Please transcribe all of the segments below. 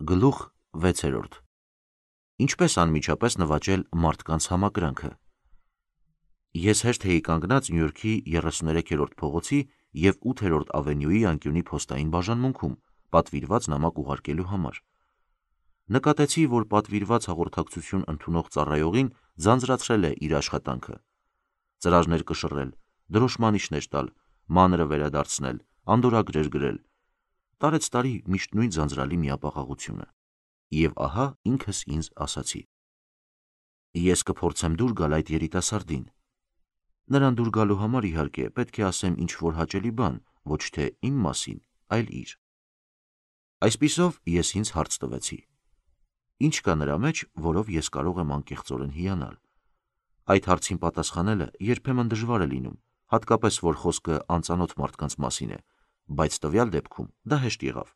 Գլուխ 6. Ինչպես անմիջապես նվաճել մարդկանց համակրանքը։ Ես հեշտ էի կանգնած Նյու Յորքի 33-րդ փողոցի և 8-րդ ավենյուի անկյունի փոստային բաժանմունքում պատվիրված նամակ ուղարկելու համար։ Նկատեցի, որ պատվիրված հաղորդակցություն ընդունող ծառայողին ձանձրացրել է իր աշխատանքը. ծրարներ կշռել, դրոշմանիշներ տալ, մանրը վերադարձնել, անդորրագրեր գրել, տարեց տարի միշտ նույն ձանձրալի միապաղաղությունը։ Եվ ահա ինքս ինձ ասացի. ես կփորձեմ դուր գալ այդ երիտասարդին։ Նրան դուր գալու համար, իհարկե, պետք է ասեմ ինչ-որ հաճելի բան, ոչ թե իմ մասին, այլ իր։ Այսպիսով ես ինձ հարց տվեցի. ինչ կա նրա մեջ, որով ես կարող եմ անկեղծորեն հիանալ։ Այդ հարցին պատասխանելը երբեմն դժվար է լինում, հատկապես որ խոսքը անծանոթ մարդկանց մասին է, բայց տվյալ դեպքում դա հեշտ եղավ։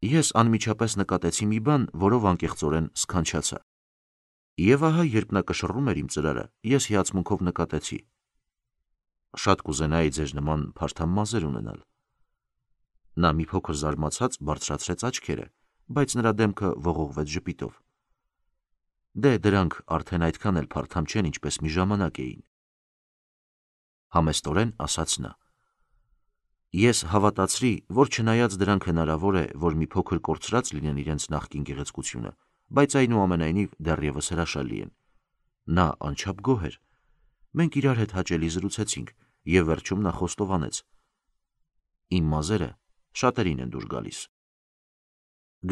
Ես անմիջապես նկատեցի մի բան, որով անկեղծորեն սքանչացա։ Եվ ահա, երբ նա կշռում էր իմ ծրարը, ես հիացմունքով նկատեցի. շատ կուզենայի ձեզ նման փարթամ մազեր ունենալ։ Նա մի փոքր զարմացած բարձրացրեց աչքերը, բայց նրա դեմքը ողողվեց ժպիտով։ Դե դրանք արդեն այդքան էլ փարթամ չեն, ինչպես մի ժամանակ էին։ Համեստորեն ասաց նա։ Ես հավատացրի, որ չնայած դրանք հնարավոր է, որ մի փոքր կորցրած լինեն իրենց նախկին գեղեցկությունը, բայց այնուամենայնիվ դեռևս հրաշալի են։ Նա անչափ գոհ էր։ Մենք իրար հետ հաճելի զրուցեցինք, և վերջում նա խոստովանեց. իմ մազերը շատերին են դուր գալիս։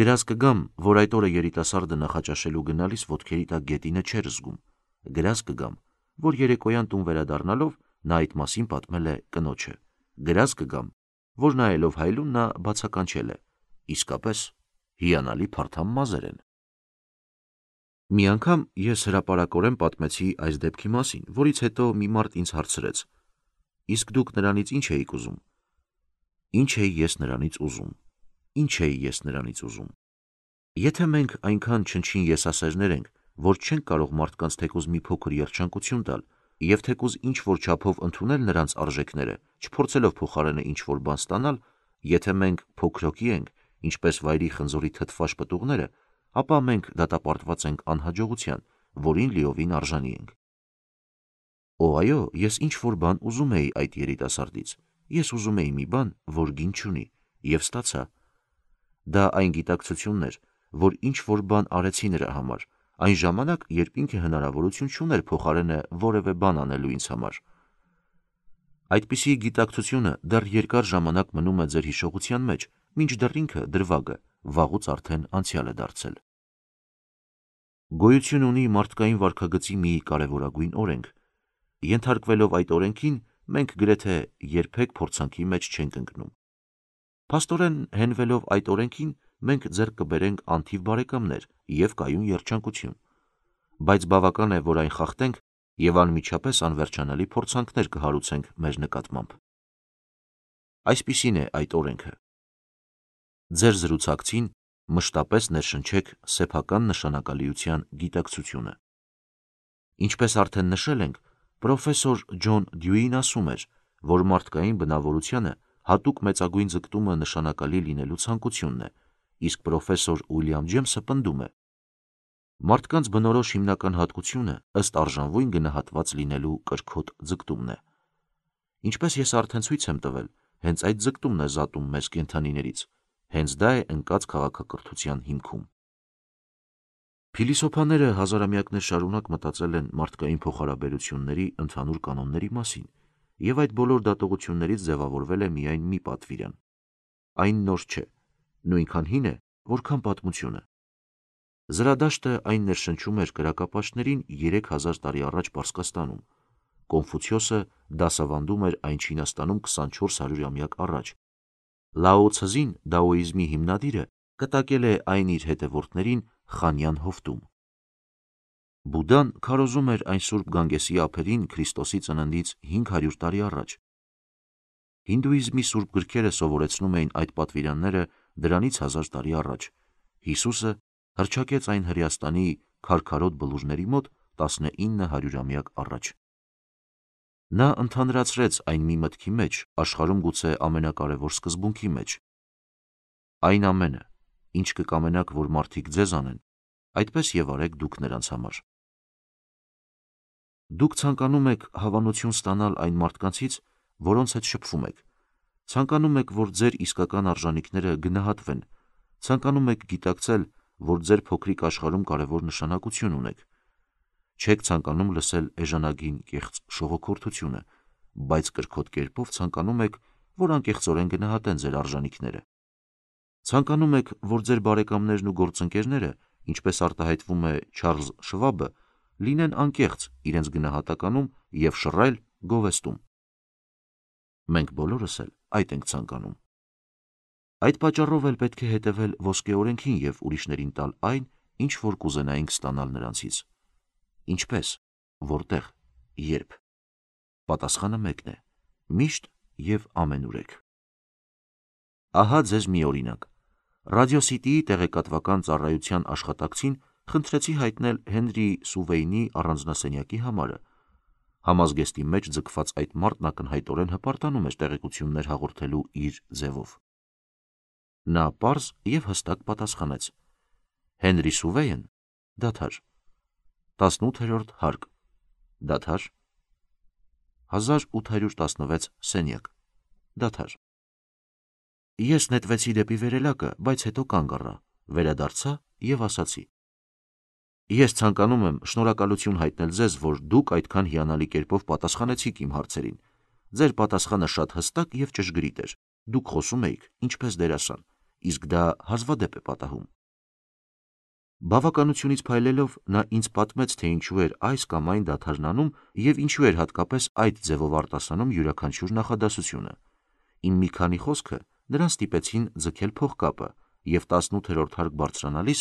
Գրազ կգամ, որ այդ օրը երիտասարդը նախաճաշելու գնալիս ոտքերի տակ գետինը չէր զգում։ Գրազ կգամ, որ երեկոյան տուն վերադառնալով նա այդ մասին պատմել է կնոջը։ Գրազ կգամ, որ նայելով հայլուն նա բացականչել է. իսկապես հիանալի փարթամ մազեր են։ Մի անգամ ես հրապարակորեն պատմեցի այս դեպքի մասին, որից հետո մի մարդ ինձ հարցրեց. իսկ դուք նրանից ինչ էիք ուզում։ Ինչ էի ես նրանից ուզում։ Ինչ էի ես նրանից ուզում։ Եթե մենք այնքան չնչին եսասերներ ենք, որ չենք կարող մարդկանց թեկուզ մի փոքր երջանկություն տալ, և թեկուզ ինչ-որ չափով ընդունել նրանց արժեքները, չփորձելով փոխարենը ինչ-որ բան ստանալ, եթե մենք փոքրոկի ենք, ինչպես վայրի խնձորի թթվաշ պտուղները, ապա մենք դատապարտված ենք անհաջողության, որին լիովին արժանի ենք։ Օ, այո, ես ինչ-որ բան ուզում էի այդ երիտասարդից։ Ես ուզում էի մի բան, որ գին չունի, և ստացա։ Դա այն գիտակցությունն էր, որ ինչ-որ բան արեցի նրա համար, այն ժամանակ, երբ ինքը հնարավորություն չուներ փոխարենը որևէ բան անելու ինձ համար։ Այդպիսի գիտակցությունը դեռ երկար ժամանակ մնում է ձեր հիշողության մեջ, մինչդեռ ինքը դրվագը վաղուց արդեն անցյալ է դարձել։ Գոյություն ունի մարդկային վարքագծի մի կարևորագույն օրենք։ Ենթարկվելով այդ օրենքին, մենք գրեթե երբեք փորձանքի մեջ չենք ընկնում։ Փաստորեն, հենվելով այդ օրենքին, մենք ձեռք կբերենք անթիվ բարեկամներ և կայուն երջանկություն։ Բայց բավական է, որ այն խախտենք, և անմիջապես անվերջանալի փորձանքներ կհարուցենք մեր նկատմամբ։ Այսպիսին է այդ օրենքը. ձեր զրուցակցին մշտապես ներշնչեք սեփական նշանակալիության գիտակցությունը։ Ինչպես արդեն նշել ենք, պրոֆեսոր Ջոն Դյուին ասում էր, որ մարդկային բնավորությանը հատուկ մեծագույն ձգտումը նշանակալի լինելու ցանկությունն է, իսկ պրոֆեսոր Ուիլյամ Ջեյմսը պնդում է. մարդկանց բնորոշ հիմնական հատկությունը ըստ արժանվույն գնահատված լինելու կրքոտ ձգտումն է։ Ինչպես ես արդեն ցույց եմ տվել, հենց այդ ձգտումն է զատում մեզ կենդանիներից, հենց դա է ընկած քաղաքակրթության հիմքում։ Փիլիսոփաները հազարամյակներ շարունակ մտածել են մարդկային փոխհարաբերությունների ընդհանուր կանոնների մասին, և այդ բոլոր դատողություններից ձևավորվել է միայն մի պատվիրան։ Այն նոր չէ, նույնքան հին է, որքան պատմությունը։ Զրադաշտը այն ներշնչում էր կրակապաշտներին 3000 տարի առաջ Պարսկաստանում։ Կոնֆուցիոսը դասավանդում էր այն Չինաստանում 2400-ամյակ առաջ։ Լաո Ցզին, դաոիզմի հիմնադիրը, կտակել է այն իր հետևորդներին Խանյան հովտում։ Բուդդան քարոզում էր այն Սուրբ Գանգեսի ափերին Քրիստոսի ծննդից 500 տարի առաջ։ Հինդուիզմի սուրբ գրքերը սովորեցնում էին այդ պատվիրանները դրանից 1000 տարի առաջ։ Հիսուսը հռչակեց այն Հրեաստանի քարքարոտ բլուրների մոտ 1900-ամյակ առաջ։ Նա ընդհանրացրեց այն մի մտքի մեջ, աշխարհում գուցե ամենակարևոր սկզբունքի մեջ. այն ամենը, ինչ կկամենաք, որ մարդիկ ձեզ անեն, այդպես եւ արեք դուք նրանց համար։ Դուք ցանկանում եք հավանություն ստանալ այն մարդկանցից, որոնց հետ շփվում եք։ Ցանկանում եք, որ ձեր իսկական արժանինքները գնահատվեն։ Ցանկանում եք գիտակցել, որ ձեր փոքրիկ աշխարհում կարևոր նշանակություն ունեք։ Չեք ցանկանում լսել էժանագին կեղծ շողոքորթությունը, բայց կրքոտ կերպով ցանկանում եք, որ անկեղծորեն գնահատեն ձեր արժանինքները։ Ցանկանում եք, որ ձեր բարեկամներն ու գործընկերները, ինչպես արտահայտվում է Չարլզ Շվաբը, լինեն անկեղծ իրենց գնահատականում և շռայլ գովեստում։ Մենք բոլորս էլ այդ ենք ցանկանում։ Այդ պատճառով էլ պետք է հետևել ոսկե օրենքին և ուրիշներին տալ այն, ինչ որ կուզենայինք ստանալ նրանցից։ Ինչպես, որտեղ, երբ։ Պատասխանը մեկն է՝ միշտ և ամենուրեք։ Ահա ձեզ մի օրինակ։ Ռադիո City-ի տեղեկատվական ծառայության աշխատակցին խնդրեցի հայտնել Հենրի Սուվեյնի առանձնասենյակի համարը։ Համազգեստի մեջ ձգված այդ մարդն ակնհայտորեն հպարտանում էր տեղեկություններ հաղորդելու իր ձևով։ Նա պարզ և հստակ պատասխանեց. Հենրի Սուվեյն, դադար։ 18-րդ հարկ, դադար։ 1816 սենյակ, դադար։ Ես նետվեցի դեպի վերելակը, բայց հետո կանգ առա, վերադարձա և ասացի. Ես ցանկանում եմ շնորհակալություն հայտնել ձեզ, որ դուք այդքան հիանալի կերպով պատասխանեցիք իմ հարցերին։ Ձեր պատասխանը շատ հստակ և ճշգրիտ էր։ Դուք խոսում էիք ինչպես դերասան, իսկ դա հազվադեպ է պատահում։ Բավականությունից փայլելով նա ինձ պատմեց, թե ինչու էր այս կամ այն դադարն անում և ինչու էր հատկապես այդ ձևով արտասանում յուրաքանչյուր նախադասությունը։ Իմ մի քանի խոսքը նրան ստիպեցին ձգել փողկապը, և 18-րդ հարկ բարձրանալիս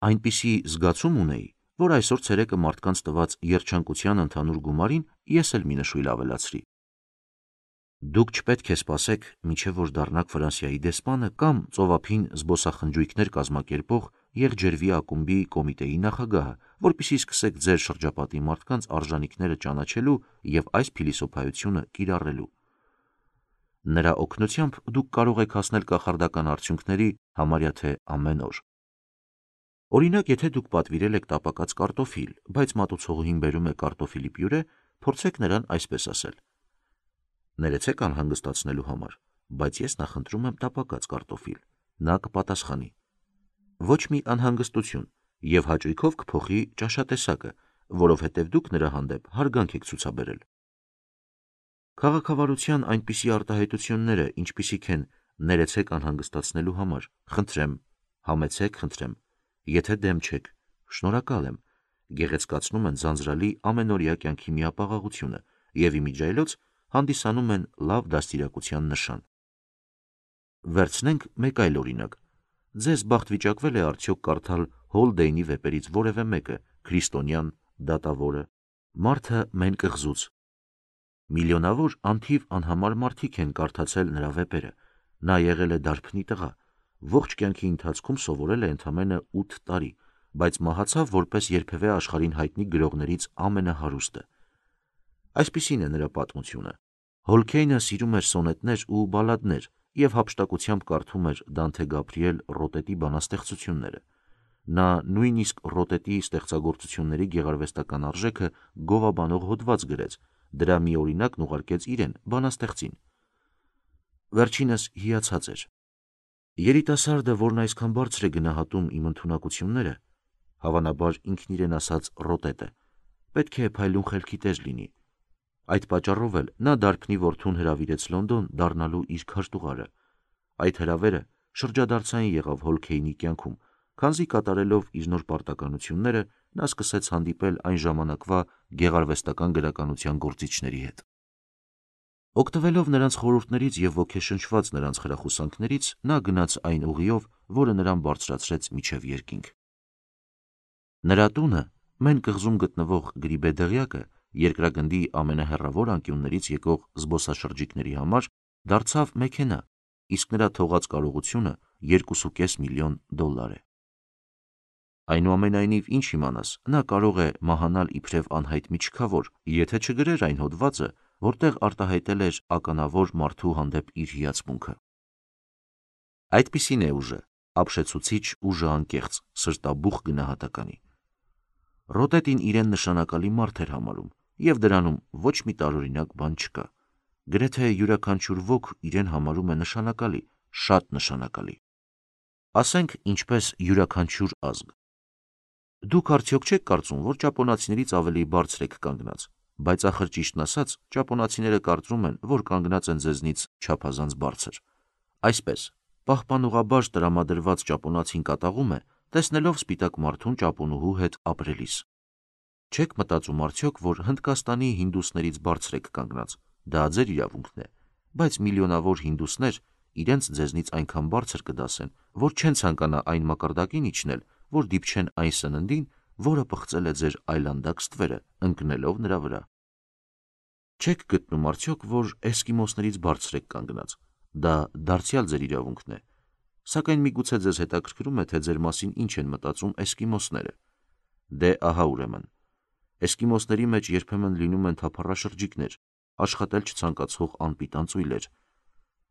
այնպիսի զգացում ունեի, որ այսօր ցերեկը մարդկանց տված երջանկության ընդհանուր գումարին ես էլ մի նշույլ ավելացրի։ Դուք չպետք է սպասեք, մինչև որ դառնաք Ֆրանսիայի դեսպանը կամ ծովափին զբոսախնջույքներ կազմակերպող եղջերվի ակումբի կոմիտեի նախագահը, որպեսզի սկսեք ձեր շրջապատի մարդկանց արժանինքները ճանաչելու և այս փիլիսոփայությունը կիրառելու։ Նրա օգնությամբ դուք կարող եք հասնել կախարդական արդյունքների համարյա թե ամեն օր։ Օրինակ, եթե դուք պատվիրել եք տապակած կարտոֆիլ, բայց մատուցողուհին բերում է կարտոֆիլի պյուրե, փորձեք նրան այսպես ասել. Ներեցեք անհանգստացնելու համար, բայց ես նախընտրում եմ տապակած կարտոֆիլ։ Նա կպատասխանի. Ոչ մի անհանգստություն, և հաճույքով կփոխի ճաշատեսակը, որովհետև դուք նրա հանդեպ հարգանք եք ցուցաբերել։ Քաղաքավարության այնպիսի արտահայտությունները, ինչպիսիք են ներեցեք անհանգստացնելու համար, խնդրեմ, համեցեք, խնդրեմ, եթե դեմ չեք, շնորհակալ եմ, գեղեցկացնում են ձանձրալի ամենօրյա կյանքի միապաղաղությունը և իմիջիայլոց հանդիսանում են լավ դաստիարակության նշան։ Վերցնենք մեկ այլ օրինակ։ Ձեզ բախտ վիճակվել է արդյոք կարդալ Հոլդեյնի վեպերից որևէ մեկը, քրիստոնյան, դատավորը, մարդը մեն կղզուց։ Միլիոնավոր անթիվ անհամար մարդիկ են կարդացել նրա վեպերը։ Նա եղել է դարբնի տղա, ողջ կյանքի ընթացքում սովորել է ընդամենը 8 տարի, բայց մահացավ որպես երբևէ աշխարհին հայտնի գրողներից ամենահարուստը։ Այսպիսին է նրա պատմությունը։ Հոլքեյնը սիրում էր սոնետներ ու բալլադներ և հափշտակությամբ կարդում էր Դանթե Գաբրիել Ռոտետի բանաստեղծությունները։ Նա նույնիսկ Ռոտետի ստեղծագործությունների գեղարվեստական արժեքը գովաբանող հոդված գրեց, դրա մի օրինակն ուղարկեց իրեն, բանաստեղծին։ Վերջինս հիացած էր։ Երիտասարդը, որն այսքան բարձր է գնահատում իմ ընդունակությունները, հավանաբար ինքն իրեն ասած Ռոտետ է, պետք է փայլուն խելքի տեր լինի։ Այդ պատճառով էլ նա դարբնի որդուն հրավիրեց Լոնդոն դառնալու իր քարտուղարը։ Այդ հրավերը շրջադարձային եղավ Հոլքեյնի կյանքում, քանզի կատարելով իր նոր պարտականությունները նա սկսեց հանդիպել այն ժամանակվա գեղարվեստական գրականության գործիչների հետ։ Օգտվելով նրանց խորհուրդներից և ոգեշնչված նրանց խրախուսանքներից, նա գնաց այն ուղիով, որը նրան բարձրացրեց մինչև երկինք։ Նրա տունը, Մեն կղզում գտնվող Գրիբե դղյակը, երկրագնդի ամենահեռավոր անկյուններից եկող զբոսաշրջիկների համար դարձավ մեքենա, իսկ նրա թողած կարողությունը $2.5 միլիոն է։ Այնուամենայնիվ, ինչ իմանաս, նա կարող է մահանալ իբրև անհայտ միջքավոր, եթե չգրեր այն հոդվածը, որտեղ արտահայտել էր ականավոր մարդու հանդեպ իր հիացմունքը։ Այդպիսին է ուժը, ապշեցուցիչ ուժը անկեղծ, սրտաբուխ գնահատականի։ Ռոտետին իրեն նշանակալի մարդ էր համարում, և դրանում ոչ մի տարօրինակ բան չկա։ Գրեթե յուրաքանչյուր ոք իրեն համարում է նշանակալի, շատ նշանակալի։ Ասենք ինչպես յուրաքանչյուր ազգ։ Դուք արդյոք չեք կարծում, որ ճապոնացիներից ավելի բարձր եք կանգնած, բայց ախր ճիշտն ասած, ճապոնացիները կարծում են, որ կանգնած են ձեզնից չափազանց բարձր։ Այսպես, պահպանողաբար տրամադրված ճապոնացին կատաղում է, տեսնելով սպիտակ մարդուն ճապոնուհու հետ ապրելիս։ Չեք մտածում արդյոք, որ Հնդկաստանի հինդուսներից բարձր եք կանգնած, դա ձեր իրավունքն է, բայց միլիոնավոր հինդուսներ իրենց ձեզնից այնքան բարձր կդասեն, որ չեն ցանկանա այն մակարդակին իջնել, որ դիպչեն այն սննդին, որը պղծել է ձեր այլանդակ ստվերը, ընկնելով նրա վրա։ Չեք գտնում արդյոք, որ էսկիմոսներից բարձր եք կանգնած, դա դարձյալ ձեր իրավունքն է, սակայն միգուցե ձեզ հետաքրքրում է, թե ձեր մասին ինչ են մտածում էսկիմոսները։ Դե ահա ուրեմն, էսկիմոսների մեջ երբեմն լինում են թափառաշրջիկներ, աշխատել չցանկացող անպիտան ծույլեր։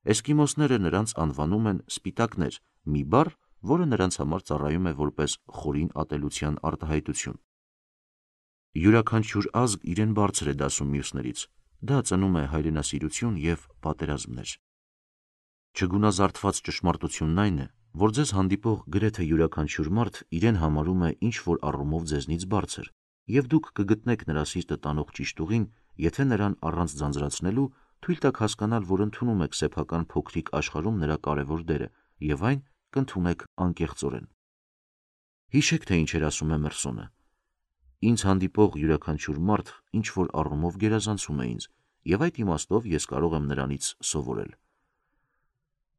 Էսկիմոսները նրանց անվանում են սպիտակներ, մի բառ, որը նրանց համար ծառայում է որպես խորին ատելության արտահայտություն։ Յուրաքանչյուր ազգ իրեն բարձր է դասում մյուսներից, դա ծնում է հայրենասիրություն և պատերազմներ։ Չգունազարդված ճշմարտությունն այն է, որ ձեզ հանդիպող գրեթե յուրաքանչյուր մարդ իրեն համարում է ինչ-որ առումով ձեզնից բարձր, և դուք կգտնեք նրա սիրտը տանող ճիշտ ուղին, եթե նրան առանց ձանձրացնելու թույլ տաք հասկանալ, որ ընդունում եք սեփական փոքրիկ աշխարհում նրա կարևոր դերը, և այն կընդունեք անկեղծորեն։ Հիշեք, թե ինչ էր ասում է Մերսոնը. «Ինձ հանդիպող յուրաքանչյուր մարդ ինչ-որ առումով գերազանցում է ինձ, և այդ իմաստով ես կարող եմ նրանից սովորել»։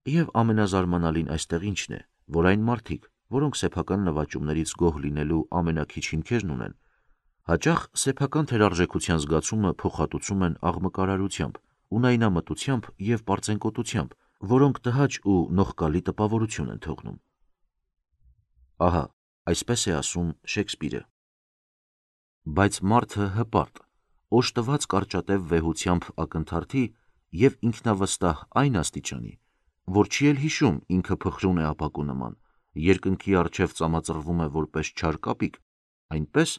Եվ ամենազարմանալին այստեղ ինչն է, որ այն մարդիկ, որոնք սեփական նվաճումներից գոհ լինելու ամենաքիչ հիմքերն ունեն, հաճախ սեփական թերարժեքության զգացումը փոխհատուցում են աղմկարարությամբ, ունայնամտությամբ և պարծենկոտությամբ, որոնք տհաճ ու նողկալի տպավորություն են թողնում։ Ահա, այսպես է ասում Շեքսպիրը. «Բայց մարդը հպարտ, օժտված կարճատև վեհությամբ ակնթարթի և ինքնավստահ այն աստիճանի, որ չի էլ հիշում ինքը փխրուն է ապակու նման, երկնքի առջև ծամածռվում է որպես չար կապիկ, այնպես,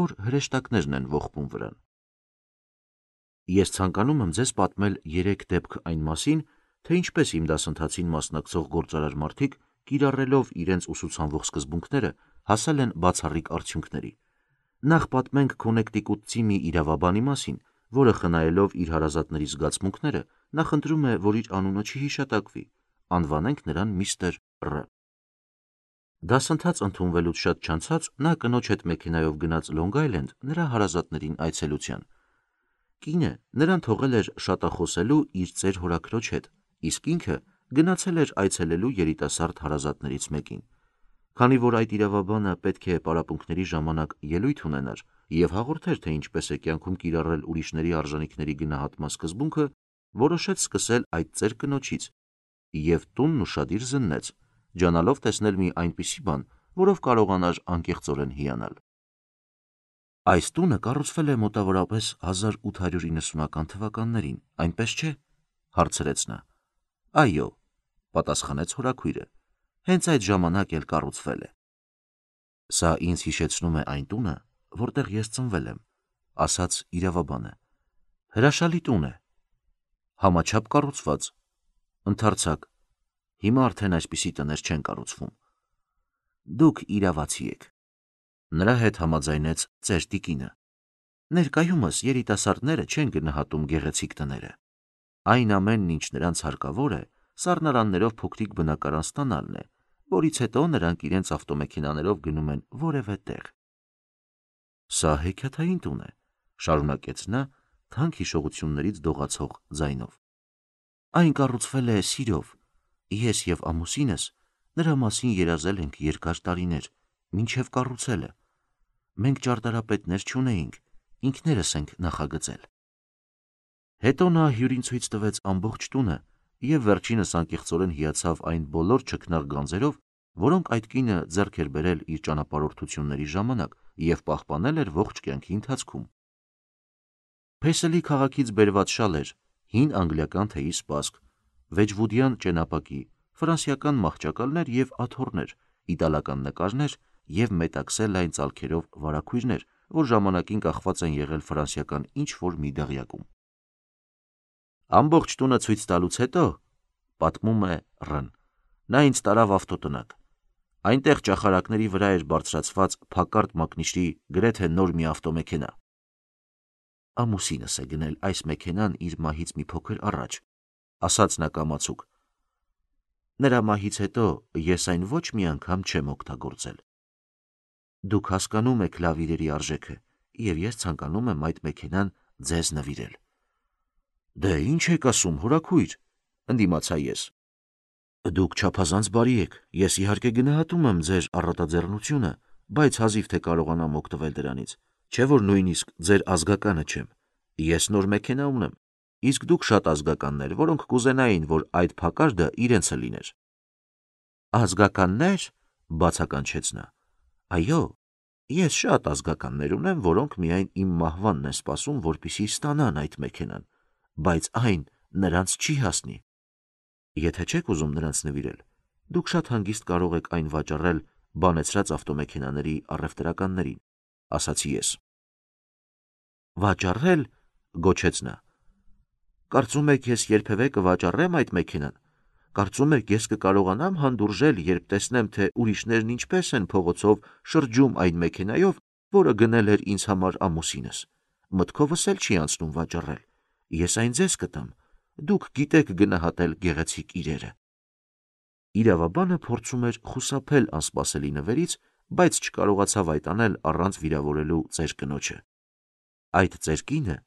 որ հրեշտակներն են ողբում վրան»։ Ես ցանկանում եմ ձեզ պատմել 3 դեպք այն մասին, թե ինչպես իմ դասընթացին մասնակցող գործարար մարդիկ, կիրառելով իրենց ուսուցանվող սկզբունքները, հասել են բացառիկ արդյունքների։ Նախ պատմենք Քոնեկտիկուտցի մի իրավաբանի մասին, որը խնայելով իր հարազատների զգացմունքները, նախընտրում է, որ իր անունը չհիշատակվի, անվանենք նրան միստր Ռ։ Դասընթաց ընդունվելուց շատ չանցած նա կնոջ հետ մեքենայով գնաց Լոնգ Այլենդ նրա հարազատներին այցելության։ Կինը նրան թողել էր շատախոսելու իր ծեր հորաքրոջ հետ, իսկ ինքը գնացել էր այցելելու երիտասարդ հարազատներից մեկին։ Քանի որ այդ իրավաբանը պետք է պարապմունքների ժամանակ ելույթ ունենար և հաղորդեր, թե ինչպես է կյանքում կիրառել ուրիշների արժանիքների գնահատման սկզբունքը, որոշեց սկսել այդ ծեր կնոջից և տունն ուշադիր զննեց, ջանալով տեսնել մի այնպիսի բան, որով կարողանար անկեղծորեն հիանալ։ Այս տունը կառուցվել է մոտավորապես 1890-ական թվականներին, այնպես չէ՞, հարցրեց նա։ Այո, պատասխանեց հորաքույրը, հենց այդ ժամանակ էլ կառուցվել է։ Սա ինձ հիշեցնում է այն տունը, որտեղ ես ծնվել եմ, ասաց իրավաբանը։ Հրաշալի տուն է։ Համաչափ կառուցված։ Ընդարձակ։ Հիմա արդեն այսպիսի տներ չեն կառուցվում։ Դուք իրավացի եք։ Նրա հետ համաձայնեց ծեր տիկինը։ Ներկայումս երիտասարդները չեն գնահատում գեղեցիկ տները։ Այն ամենն, ինչ նրանց հարկավոր է, սառնարաններով փոքրիկ բնակարան ստանալն է, որից հետո նրանք իրենց ավտոմեքենաներով գնում են որևէ տեղ։ Սա հեքիաթային տուն է, շարունակեց նա թանկ հիշողություններից դողացող ձայնով։ Այն կառուցվել է սիրով։ Ես և ամուսինս նրա մասին երազել ենք երկար տարիներ, մինչև կառուցելը։ Մենք ճարտարապետներ չունեինք, ինքներս ենք նախագծել։ Հետո նա հյուրին ցույց տվեց ամբողջ տունը և վերջինս անկեղծորեն հիացավ այն բոլոր չքնաղ գանձերով, որոնք այդ կինը ձեռք էր բերել իր ճանապարհորդությունների ժամանակ և պահպանել էր ողջ կյանքի ընթացքում։ Փեսելի քաղաքից բերված շալ էր, հին անգլիական թեյի սպասք, վեջվուդյան ճենապակի, ֆրանսիական մահճակալներ և աթոռներ, իտալական նկարներ և մետաքսե լայն ծալքերով վարագույրներ, որ ժամանակին կախված են եղել ֆրանսիական ինչ-որ մի դղյակում։ Ամբողջ տունը ցույց տալուց հետո, պատմում է Ռ-ն, նա ինձ տարավ ավտոտնակ։ Այնտեղ ճախարակների վրա էր բարձրացված փակարդ մակնիշի գրեթե նոր մի ավտոմեքենա։ Ամուսինս է գնել այս մեքենան իր մահից մի փոքր առաջ, ասաց նա կամացուկ։ Նրա մահից հետո ես այն ոչ մի անգամ չեմ օգտագործել։ Դուք հասկանում եք լավ իրերի արժեքը, և ես ցանկանում եմ այդ մեքենան ձեզ նվիրել։ Դե ինչ եք ասում, հորաքույր, ընդդիմացա ես։ Դուք չափազանց բարի եք, ես իհարկե գնահատում եմ ձեր առատաձեռնությունը, բայց հազիվ թե կարողանամ օգտվել դրանից, չէ որ նույնիսկ ձեր ազգականը չեմ։ Ես նոր մեքենա ունեմ, իսկ դուք շատ ազգականներ, որոնք կուզենային, որ այդ փակարդը իրենցը լիներ։ Ազգականներ, բացականչեց նա։ Այո, ես շատ ազգականներ ունեմ, որոնք միայն իմ մահվանն են սպասում, որպեսզի ստանան այդ մեքենան, բայց այն նրանց չի հասնի։ Եթե չեք ուզում նրանց նվիրել, դուք շատ հանգիստ կարող եք այն վաճառել բանեցրած ավտոմեքենաների առևտրականներին, ասացի ես։ Վաճառել, գոչեց նա։ Կարծում եք ես երբևէ կվաճառեմ այդ մեքենան։ Կարծում եք ես կկարողանամ հանդուրժել, երբ տեսնեմ, թե ուրիշներն ինչպես են փողոցով շրջում այն մեքենայով, որը գնել էր ինձ համար ամուսինս։ Մտքովս էլ չի անցնում վաճառել։ Ես այն ձեզ կտամ։ Դուք գիտեք գնահատել գեղեցիկ իրերը։ Իրավաբանը փորձում էր խուսափել անսպասելի նվերից, բայց չկարողացավ այդ անել առանց վիրավորելու ծեր կնոջը։ Այդ ծեր կինը,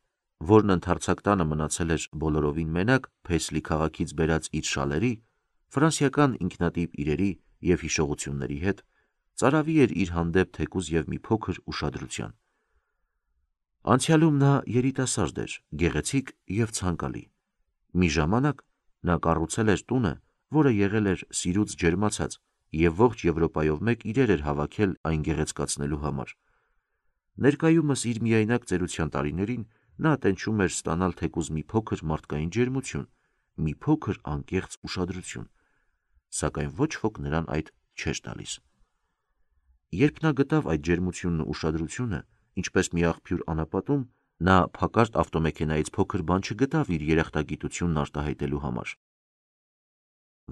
որն ընդարձակ տանը մնացել էր բոլորովին մենակ Փեսլի քաղաքից բերած իր շալերի, ֆրանսիական ինքնատիպ իրերի և հիշողությունների հետ, ծարավի էր իր հանդեպ թեկուզ և մի փոքր ուշադրության։ Անցյալում նա երիտասարդ էր, գեղեցիկ և ցանկալի։ Մի ժամանակ նա կառուցել էր տունը, որը եղել էր սիրուց ջերմացած և ողջ Եվրոպայով մեկ իրեր էր հավաքել այն գեղեցկացնելու համար։ Ներկայումս իր միայնակ ծերության տարիներին նա տենչում էր ստանալ թեկուզ մի փոքր մարդկային ջերմություն, մի փոքր անկեղծ ուշադրություն, սակայն ոչ ոք նրան այդ չէր տալիս։ Երբ նա գտավ այդ ջերմությունն ու ուշադրությունը, ինչպես մի աղբյուր անապատում, նա փակարդ ավտոմեքենայից փոքր բան չգտավ իր երախտագիտությունն արտահայտելու համար։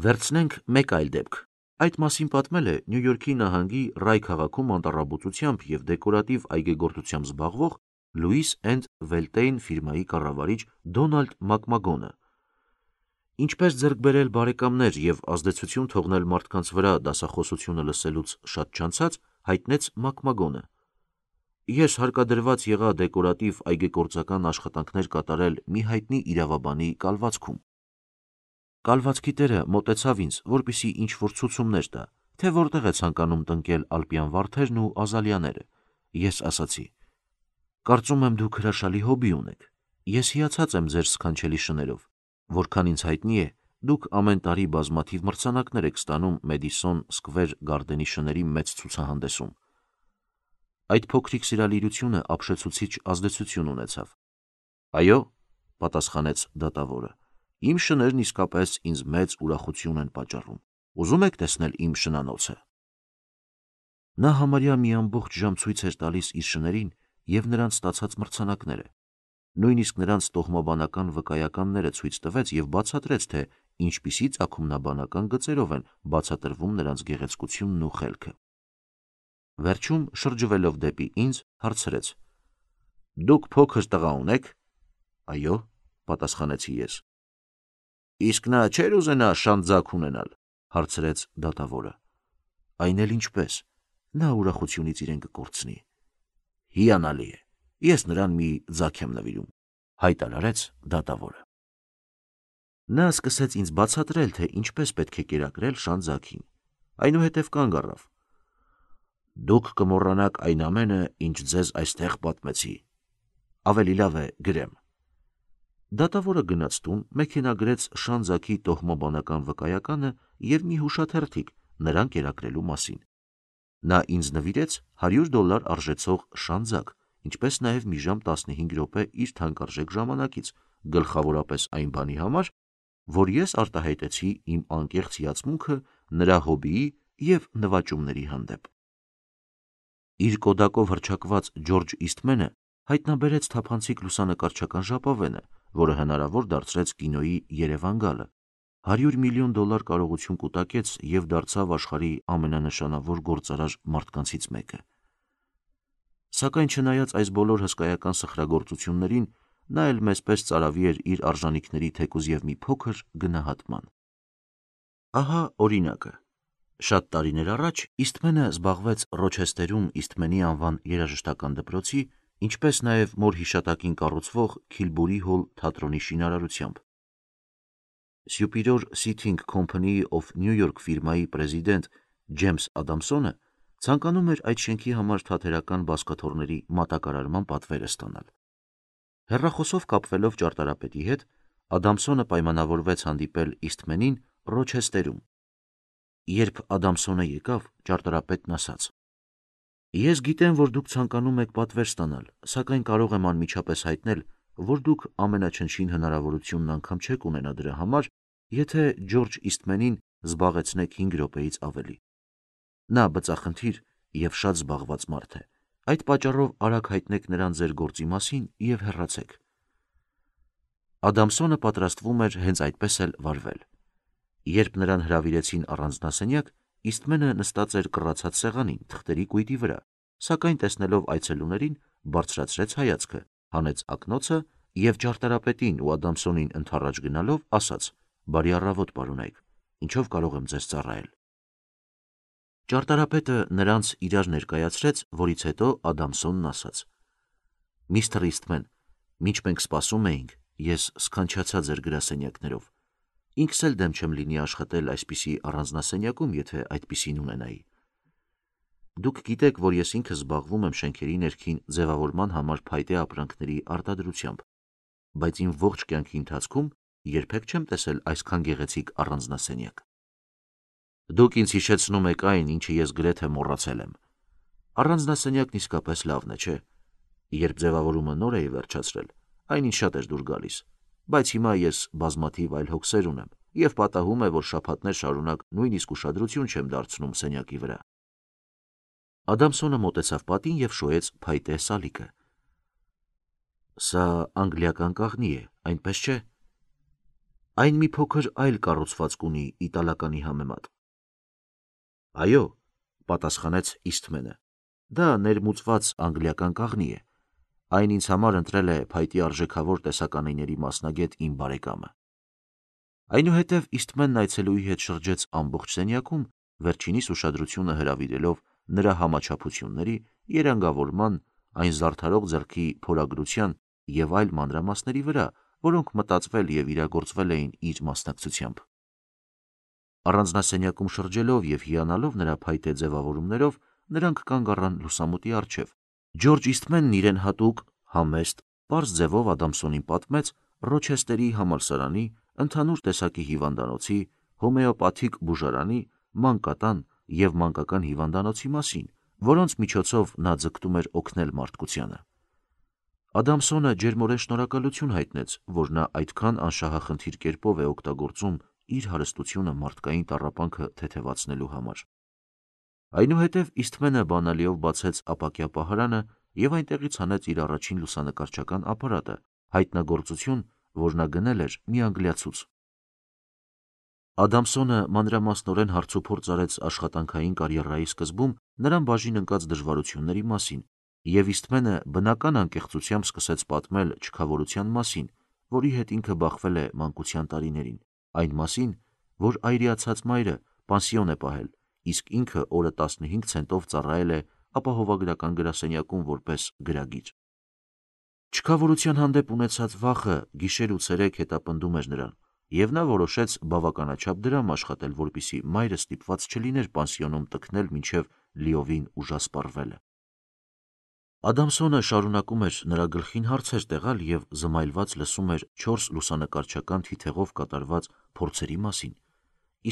Վերցնենք մեկ այլ դեպք։ Այդ մասին պատմել է Նյու Յորքի նահանգի Ռայ քաղաքում անտառաբուծությամբ և դեկորատիվ այգեգործությամբ զբաղվող Լուիս էնդ Վելտեյն ֆիրմայի կառավարիչ Դոնալդ Մակմագոնը։ Ինչպես ձեռք բերել բարեկամներ և ազդեցություն թողնել մարդկանց վրա դասախոսությունը լսելուց շատ չանցած, հայտնեց Մակմագոնը։ Ես հարկադրված եղա դեկորատիվ այգեգործական աշխատանքներ կատարել մի հայտնի իրավաբանի կալվածքում։ Կալվածքի տերը մոտեցավ ինձ, որպեսզի ինչ-որ ցուցումներ տա, թե որտեղ է ցանկանում տնկել ալպյան վարդերն ու ազալիաները։ Ես ասացի. Կարծում եմ դուք հրաշալի հոբբի ունեք։ Ես հիացած եմ ձեր սքանչելի շներով։ Որքան ինձ հայտնի է, դուք ամեն տարի բազմաթիվ մրցանակներ եք ստանում Մեդիսոն Սքվեր Գարդենի շների մեծ ցուցահանդեսում։ Այդ փոքրիկ սիրալիրությունը ապշեցուցիչ ազդեցություն ունեցավ։ Այո, պատասխանեց դատավորը, իմ շներն իսկապես ինձ մեծ ուրախություն են պատճառում։ Ուզում եք տեսնել իմ շնանոցը։ Նա համարյա մի ամբողջ ժամ ցույց էր տալիս իր շներին և նրանց ստացած մրցանակները։ Նույնիսկ նրանց տոհմաբանական վկայականները ցույց տվեց և բացատրեց, թե ինչպիսի ծագումնաբանական գծերով են բացատրվում նրանց գեղեցկությունն ու խելքը։ Վերջում, շրջվելով դեպի ինձ, հարցրեց. Դուք փոքր տղա ունեք։ Այո, պատասխանեցի ես։ Իսկ նա չէր ուզենա շան ձագ ունենալ, հարցրեց դատավորը։ Այն էլ ինչպես, նա ուրախությունից իրեն կկորցնի։ Հիանալի է, ես նրան մի ձագ եմ նվիրում, հայտարարեց դատավորը։ Նա սկսեց ինձ բացատրել, թե ինչպես պետք է կերակրել շան ձագին, այնուհետև կանգ առավ։ Դուք կմոռանաք այն ամենը, ինչ ձեզ այստեղ պատմեցի։ Ավելի լավ է գրեմ։ Դատավորը գնաց տուն, մեքենագրեց շան ձագի տոհմաբանական վկայականը և մի հուշաթերթիկ նրան կերակրելու մասին։ Նա ինձ նվիրեց $100 արժեցող շան ձագ, ինչպես նաև մի ժամ 15 րոպե իր թանկարժեք ժամանակից, գլխավորապես այն բանի համար, որ ես արտահայտեցի իմ անկեղծ հիացմունքը նրա հոբիի և նվաճումների հանդեպ։ Իր կոդակով հռչակված Ջորջ Իսթմենը հայտնաբերեց թափանցիկ լուսանկարչական ժապավենը, որը հնարավոր դարձրեց կինոյի Երևան գալը, $100 միլիոն կարողություն կուտակեց և դարձավ աշխարհի ամենանշանավոր գործարար մարդկանցից մեկը։ Սակայն չնայած այս բոլոր հսկայական սխրագործություններին, նա էլ մեզ պես ծարավի էր իր արժանիքների թեկուզ և մի փոքր գնահատման։ Ահա օրինակը. շատ տարիներ առաջ Իսթմենը զբաղվեց Ռոչեսթերում Իսթմենի անվան երաժշտական դպրոցի, ինչպես նաև մոր հիշատակին կառուցվող Քիլբուրի հոլ թատրոնի շինարարությամբ։ Superior Seating Company of New York ֆիրմայի պրեզիդենտ Ջեյմս Ադամսոնը ցանկանում էր այդ շենքի համար թատերական բազկաթոռների մատակարարման պատվերը ստանալ։ Հեռախոսով կապվելով ճարտարապետի հետ, Ադամսոնը պայմանավորվեց հանդիպել Իսթմենին Ռոչեսթերում։ Երբ Ադամսոնը եկավ, ճարտարապետն ասաց. «Ես գիտեմ, որ դուք ցանկանում եք պատվեր ստանալ, սակայն կարող եմ անմիջապես հայտնել, որ դուք ամենաչնչին հնարավորությունն անգամ չեք ունենա դրա համար, եթե Ջորջ Իսթմենին զբաղեցնեք 5 րոպեից ավելի։ Նա բծախնդիր և շատ զբաղված մարդ է, այդ պատճառով արագ հայտնեք նրան ձեր գործի մասին և հեռացեք»։ Ադամսոնը պատրաստվում էր հենց այդպես էլ վարվել։ Երբ նրան հրավիրեցին առանձնասենյակ, Իսթմենը նստած էր կռացած սեղանին, թղթերի կույտի վրա, սակայն տեսնելով այցելուներին, բարձրացրեց հայացքը, հանեց ակնոցը և ճարտարապետին ու Ադամսոնին ընդառաջ գնալով ասաց. «Բարի առավոտ, պարոնայք, ինչով կարող եմ ձեզ ծառայել»։ Ճարտարապետը նրանց իրար ներկայացրեց, որից հետո Ադամսոնն ասաց. «Միստր Իսթմեն, մինչ մենք սպասում էինք, ես սքանչացա ձեր գրասենյակներով։ Ինքս էլ դեմ չեմ լինի աշխատել այսպիսի առանձնասենյակում, եթե այդպիսին ունենայի։ Դուք գիտեք, որ ես ինքս զբաղվում եմ շենքերի ներքին ձևավորման համար փայտե ապրանքների արտադրությամբ, բայց իմ ողջ կյանքի ընթացքում երբեք չեմ տեսել այսքան գեղեցիկ առանձնասենյակ։ Դուք ինձ հիշեցնում եք այն, ինչը ես գրեթե մոռացել եմ։ Առանձնասենյակն իսկապես լավն է, չէ՞։ Երբ ձևավորումը նոր էի վերջացրել, այն ինձ շատ էր դուր գալիս, բայց հիմա ես բազմաթիվ այլ հոգսեր ունեմ և պատահում է, որ շաբաթներ շարունակ նույնիսկ ուշադրություն չեմ դարձնում սենյակի վրա։ Ադամսոնը մոտեցավ պատին և շոյեց փայտե սալիկը։ Սա անգլիական կաղնի է, այնպես չէ։ Այն մի փոքր այլ կառուցվածք ունի իտալականի համեմատ։ Այո, պատասխանեց Իսթմենը, դա ներմուծված անգլիական կաղնի է։ Այն ինձ համար ընտրել է փայտի արժեքավոր տեսականիների մասնագետ իմ բարեկամը։ Այնուհետև Իսթմենն այցելուի հետ շրջեց ամբողջ սենյակում, վերջինիս ուշադրությունը հրավիրելով նրա համաչափությունների, երանգավորման, այն զարդարող ձեռքի փորագրության և այլ մանրամասների վրա, որոնք մտածվել և իրագործվել էին իր մասնակցությամբ։ Առանձնասենյակում շրջելով և հիանալով նրա փայտե ձևավորումներով, նրանք կանգ առան լուսամուտի առջև։ Ջորջ Իսթմենն իրեն հատուկ, համեստ, պարզ ձևով Ադամսոնին պատմեց Ռոչեսթերի համալսարանի, ընդհանուր տեսակի հիվանդանոցի, հոմեոպաթիկ բուժարանի, մանկատան և մանկական հիվանդանոցի մասին, որոնց միջոցով նա ձգտում էր օգնել մարդկությանը։ Ադամսոնը ջերմորեն շնորհակալություն հայտնեց, որ նա այդքան անշահախնդիր կերպով է օգտագործում իր հարստությունը մարդկային տառապանքը թեթևացնելու համար։ Այնուհետև Իսթմենը բանալիով բացեց ապակյա պահարանը և այնտեղից հանեց իր առաջին լուսանկարչական ապարատը, հայտնագործություն, որ նա գնել էր մի անգլիացուց։ Ադամսոնը մանրամասնորեն հարցուփորձ արեց աշխատանքային կարիերայի սկզբում նրան բաժին ընկած դժվարությունների մասին, և Իսթմենը բնական անկեղծությամբ սկսեց պատմել չքավորության մասին, որի հետ ինքը բախվել է մանկության տարիներին, այն մասին, որ այրիացած մայրը պանսիոն է պահել, իսկ ինքը օրը 15 ցենտով ծառայել է ապահովագրական գրասենյակում որպես գրագիր։ Չքավորության հանդեպ ունեցած վախը գիշեր ու ցերեկ հետապնդում էր նրան, և նա որոշեց բավականաչափ դրամ աշխատել, որպեսզի մայրը ստիպված չլիներ պանսիոնում տքնել մինչև լիովին ուժասպառվելը։ Ադամսոնը շարունակում էր նրա գլխին հարցեր տեղալ և զմայլված լսում էր 4 լուսանկարչական թիթեղով կատարված փորձերի մասին։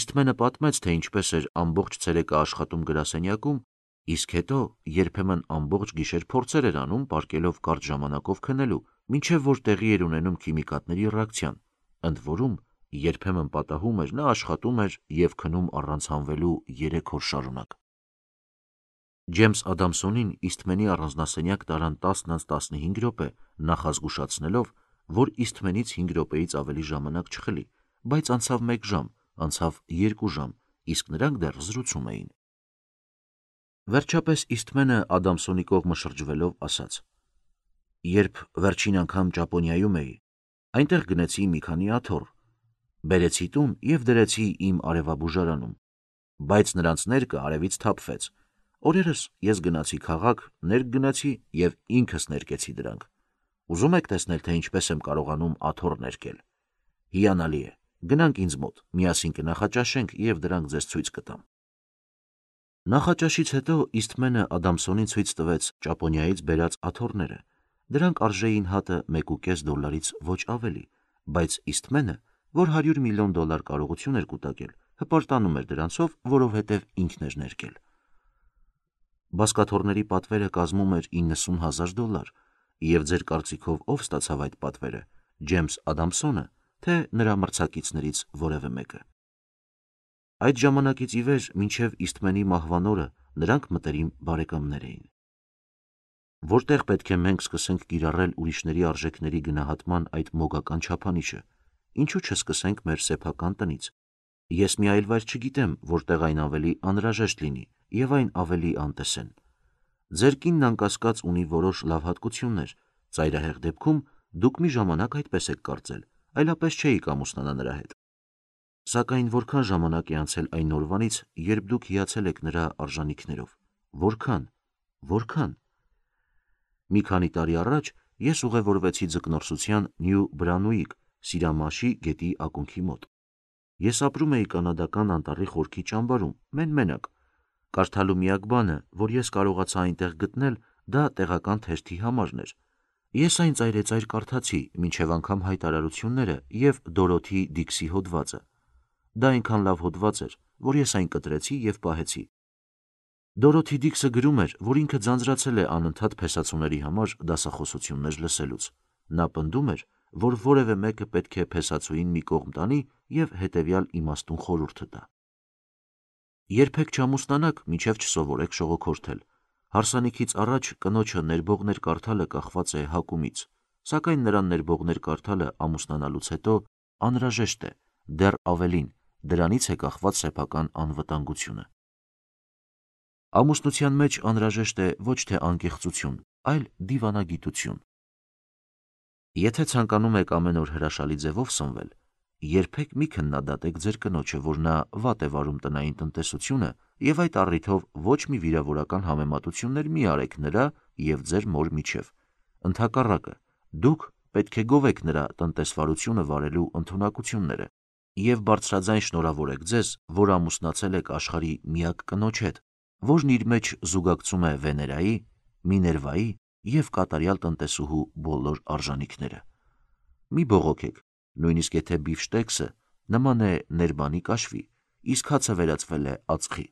Իսթմենը պատմեց, թե ինչպես էր ամբողջ ցերեկը աշխատում գրասենյակում, իսկ հետո երբեմն ամբողջ գիշեր փորձեր էր անում, պառկելով կարճ ժամանակով քնելու, մինչև որ տեղի էր ունենում քիմիկատների ռեակցիան, ընդ որում Երբեմն պատահում էր, նա աշխատում էր և քնում առանց հանվելու 3 օր շարունակ։ Ջեյմս Ադամսոնին Իսթմենի առանձնասենյակ տարան 10:15 րոպե, նախազգուշացնելով, որ Իսթմենից 5 րոպեից ավելի ժամանակ չխլի, բայց անցավ 1 ժամ, անցավ 2 ժամ, իսկ նրանք դեռ զրուցում էին։ Վերջապես Իսթմենը Ադամսոնի կողմը շրջվելով ասաց. «Երբ վերջին անգամ Ճապոնիայում էի, այնտեղ գնեցի մի քանի աթոռ, բերեցի տուն և դրեցի իմ արևաբուժարանում, բայց նրանց ներկը արևից թափվեց։ Օրերս ես գնացի քաղաք, ներք գնեցի և ինքս ներկեցի դրանք։ Ուզում եք տեսնել, թե ինչպես եմ կարողանում աթոռ ներկել։ Հիանալի է, գնանք ինձ մոտ, միասին կնախաճաշենք և դրանք ձեզ ցույց կտամ»։ Նախաճաշից հետո Իսթմենը Ադամսոնին ցույց տվեց Ճապոնիայից բերած աթոռները։ Դրանք արժեին հատը $1.5 ոչ ավելի, բայց Իսթմենը, որ $100 միլիոն կարողություն էր կուտակել, հպարտանում էր դրանցով, որովհետև ինքն էր ներկել։ Բազկաթոռների պատվերը կազմում էր $90,000, և ձեր կարծիքով ով ստացավ այդ պատվերը՝ Ջեյմս Ադամսոնը, թե նրա մրցակիցներից որևէ մեկը։ Այդ ժամանակից ի վեր մինչև Իսթմենի մահվան օրը նրանք մտերիմ բարեկամներ էին։ Որտեղ պետք է մենք սկսենք կիրառել ուրիշների արժեքների գնահատման այդ մոգական չափանիշը, ինչու չսկսենք մեր սեփական տնից։ Ես մի այլ վայր չգիտեմ, որտեղ այն ավելի անհրաժեշտ լինի և այն ավելի անտեսեն։ Ձեր կինն անկասկած ունի որոշ լավ հատկություններ, ծայրահեղ դեպքում դուք մի ժամանակ այդպես եք կարծել, այլապես չէիք ամուսնանա նրա հետ։ Սակայն որքան ժամանակ է անցել այն օրվանից, երբ դուք հիացել եք նրա արժանիքներով, որքան։ Մի քանի տարի առաջ ես ուղևորվեցի ձկնորսության Նյու Բրանուիկ Սիրամաշի գետի ակունքի մոտ։ Ես ապրում էի կանադական անտառի խորքի ճամբարում, մենակ։ Կարդալու միակ բանը, որ ես կարողացա այնտեղ գտնել, դա տեղական թերթի համարն էր։ Ես այն ծայրեծայր կարդացի, մինչև անգամ հայտարարությունները և Դորոթի Դիքսի հոդվածը։ Դա այնքան լավ հոդված էր, որ ես այն կտրեցի և պահեցի։ Դորոթի Դիքսը գրում էր, որ ինքը ձանձրացել է անընդհատ փեսացուների համար դասախոսություններ լսելուց։ Նա պնդում էր, որ որևէ մեկը պետք է փեսացուին մի կողմ տանի և հետևյալ իմաստուն խորհուրդը տա. երբեք չամուսնանաք, մինչև չսովորեք շողոքորթել։ Հարսանիքից առաջ կնոջը ներբողներ կարդալը կախված է հակումից, սակայն նրան ներբողներ կարդալը ամուսնանալուց հետո անհրաժեշտ է, դեռ ավելին, դրանից է կախված սեփական անվտանգությունը։ Ամուսնության մեջ անհրաժեշտ է ոչ թե անկեղծություն, այլ դիվանագիտություն։ Եթե ցանկանում եք ամեն օր հրաշալի ձևով սնվել, երբեք մի քննադատեք ձեր կնոջը, որ նա վատ է վարում տնային տնտեսությունը, և այդ առիթով ոչ մի վիրավորական համեմատություններ մի արեք նրա և ձեր մոր միջև։ Ընդհակառակը, դուք պետք է գովեք նրա տնտեսվարությունը վարելու ընդունակությունները և բարձրաձայն շնորհավորեք ձեզ, որ ամուսնացել եք աշխարհի միակ կնոջ հետ, որն իր մեջ զուգակցում է Վեներայի, Միներվայի և կատարյալ տնտեսուհու բոլոր արժանիքները։ Մի բողոքեք, նույնիսկ եթե բիֆշտեքսը նման է ներբանի կաշվի, իսկ հացը վերածվել է ածխի։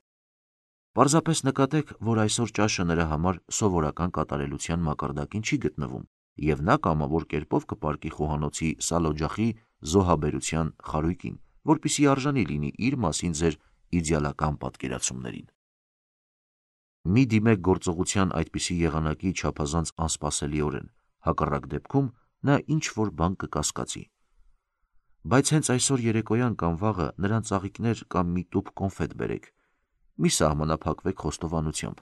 Պարզապես նկատեք, որ այսօր ճաշը նրա համար սովորական կատարելության մակարդակին չի գտնվում, և նա կամավոր կերպով կպառկի խոհանոցի սալօջախի զոհաբերության խարույկին, որպեսզի արժանի լինի իր մասին ձեր իդեալական պատկերացումներին։ Մի դիմեք գործողության այդպիսի եղանակի չափազանց անսպասելիորեն, հակառակ դեպքում նա ինչ-որ բան կկասկածի։ Բայց հենց այսօր երեկոյան կամ վաղը նրան ծաղիկներ կամ մի տուփ կոնֆետ բերեք։ Մի սահմանափակվեք խոստովանությամբ.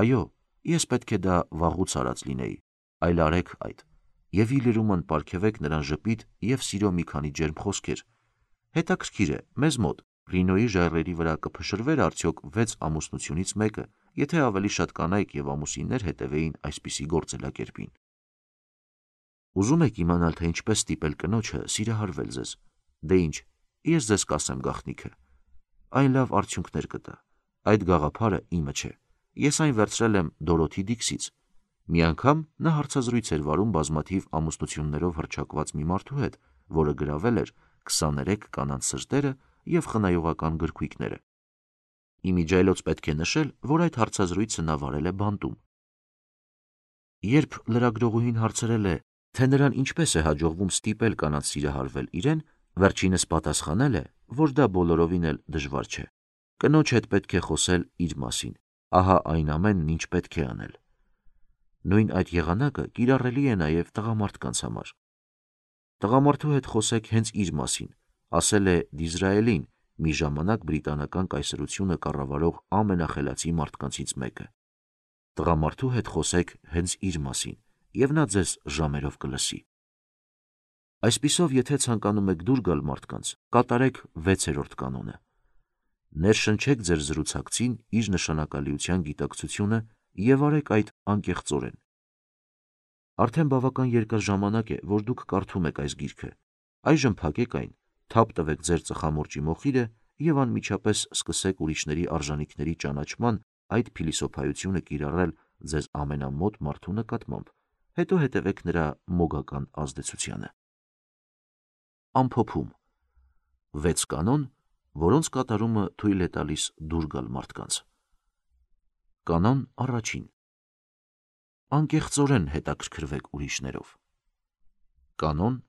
«Այո, ես պետք է դա վաղուց արած լինեի», այլ արեք այդ, և ի լրումն պարգևեք նրան ժպիտ և սիրո մի քանի ջերմ խոսքեր։ Հետաքրքիր է, մեզ մոտ Ռինոյի ժայռերի վրա կփշրվեր արդյոք 6 ամուսնությունից մեկը, եթե ավելի շատ կանայք և ամուսիններ հետևեին այսպիսի գործելակերպին։ Ուզում եք իմանալ, թե ինչպես ստիպել կնոջը սիրահարվել ձեզ։ Դե ինչ, ես ձեզ կասեմ գաղտնիքը։ Այն լավ արդյունքներ կտա։ Այդ գաղափարը իմը չէ։ Ես այն վերցրել եմ Դորոթի Դիքսից։ Մի անգամ նա հարցազրույց էր վարում բազմաթիվ ամուսնություններով հռչակված մի մարդու հետ, որը գրավել էր 23 կանանց սրտերը և խնայողական գրքույկները։ Իմիջիայլոց պետք է նշել, որ այդ հարցազրույցը նա վարել է բանտում։ Երբ լրագրողուհին հարցրել է, թե նրան ինչպես է հաջողվում ստիպել կանանց սիրահարվել իրեն, Վերջինս պատասխանել է, որ դա բոլորովին էլ դժվար չէ։ Կնոջ հետ պետք է խոսել իր մասին, ահա այն ամենն, ինչ պետք է անել։ Նույն այդ եղանակը կիրառելի է նաև տղամարդկանց համար։ Տղամարդու հետ խոսեք հենց իր մասին, ասել է Դիզրայելին մի ժամանակ բրիտանական կայսրությունը կառավարող ամենախելացի մարդկանցից մեկը։ Տղամարդու հետ խոսեք հենց իր մասին, եւ նա ձեզ ժամերով կլսի։ Այսպիսով, եթե ցանկանում եք դուր գալ մարդկանց, կատարեք 6-րդ կանոնը։ Ներշնչեք ձեր զրուցակցին իր նշանակալիության գիտակցությունը եւ արեք այդ անկեղծորեն։ Արդեն բավական երկար ժամանակ է, որ դուք կարդում եք այս գիրքը։ Այժմ փակեք այն, թափ տվեք ձեր ծխամորճի մոխիրը եւ անմիջապես սկսեք ուրիշների արժանինքների ճանաչման այդ փիլիսոփայությունը կիրառել ձեզ ամենամոտ մարդու նկատմամբ, հետո հետևեք նրա մոգական ազդեցությանը։ Ամփոփում. 6 կանոն, որոնց կատարումը թույլ է տալիս դուր գալ մարդկանց։ Կանոն առաջին. անկեղծորեն հետաքրքրվեք ուրիշներով։ Կանոն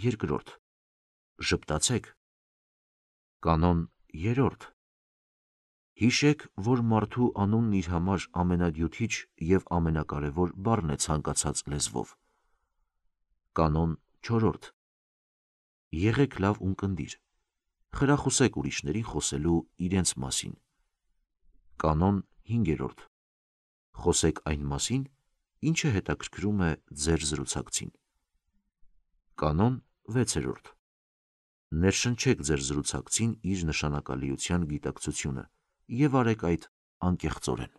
երկրորդ. ժպտացեք։ Կանոն երրորդ. հիշեք, որ մարդու անունն իր համար ամենագյութիչ եւ ամենակարևոր բառն է ցանկացած լեզվով։ Կանոն չորրորդ. եղեք լավ ունկնդիր։ Խրախուսեք ուրիշներին խոսելու իրենց մասին։ Կանոն 5-րդ. խոսեք այն մասին, ինչը հետաքրքրում է ձեր զրուցակցին։ Կանոն 6-րդ. ներշնչեք ձեր զրուցակցին իր նշանակալիության գիտակցությունը եւ արեք այդ անկեղծորեն։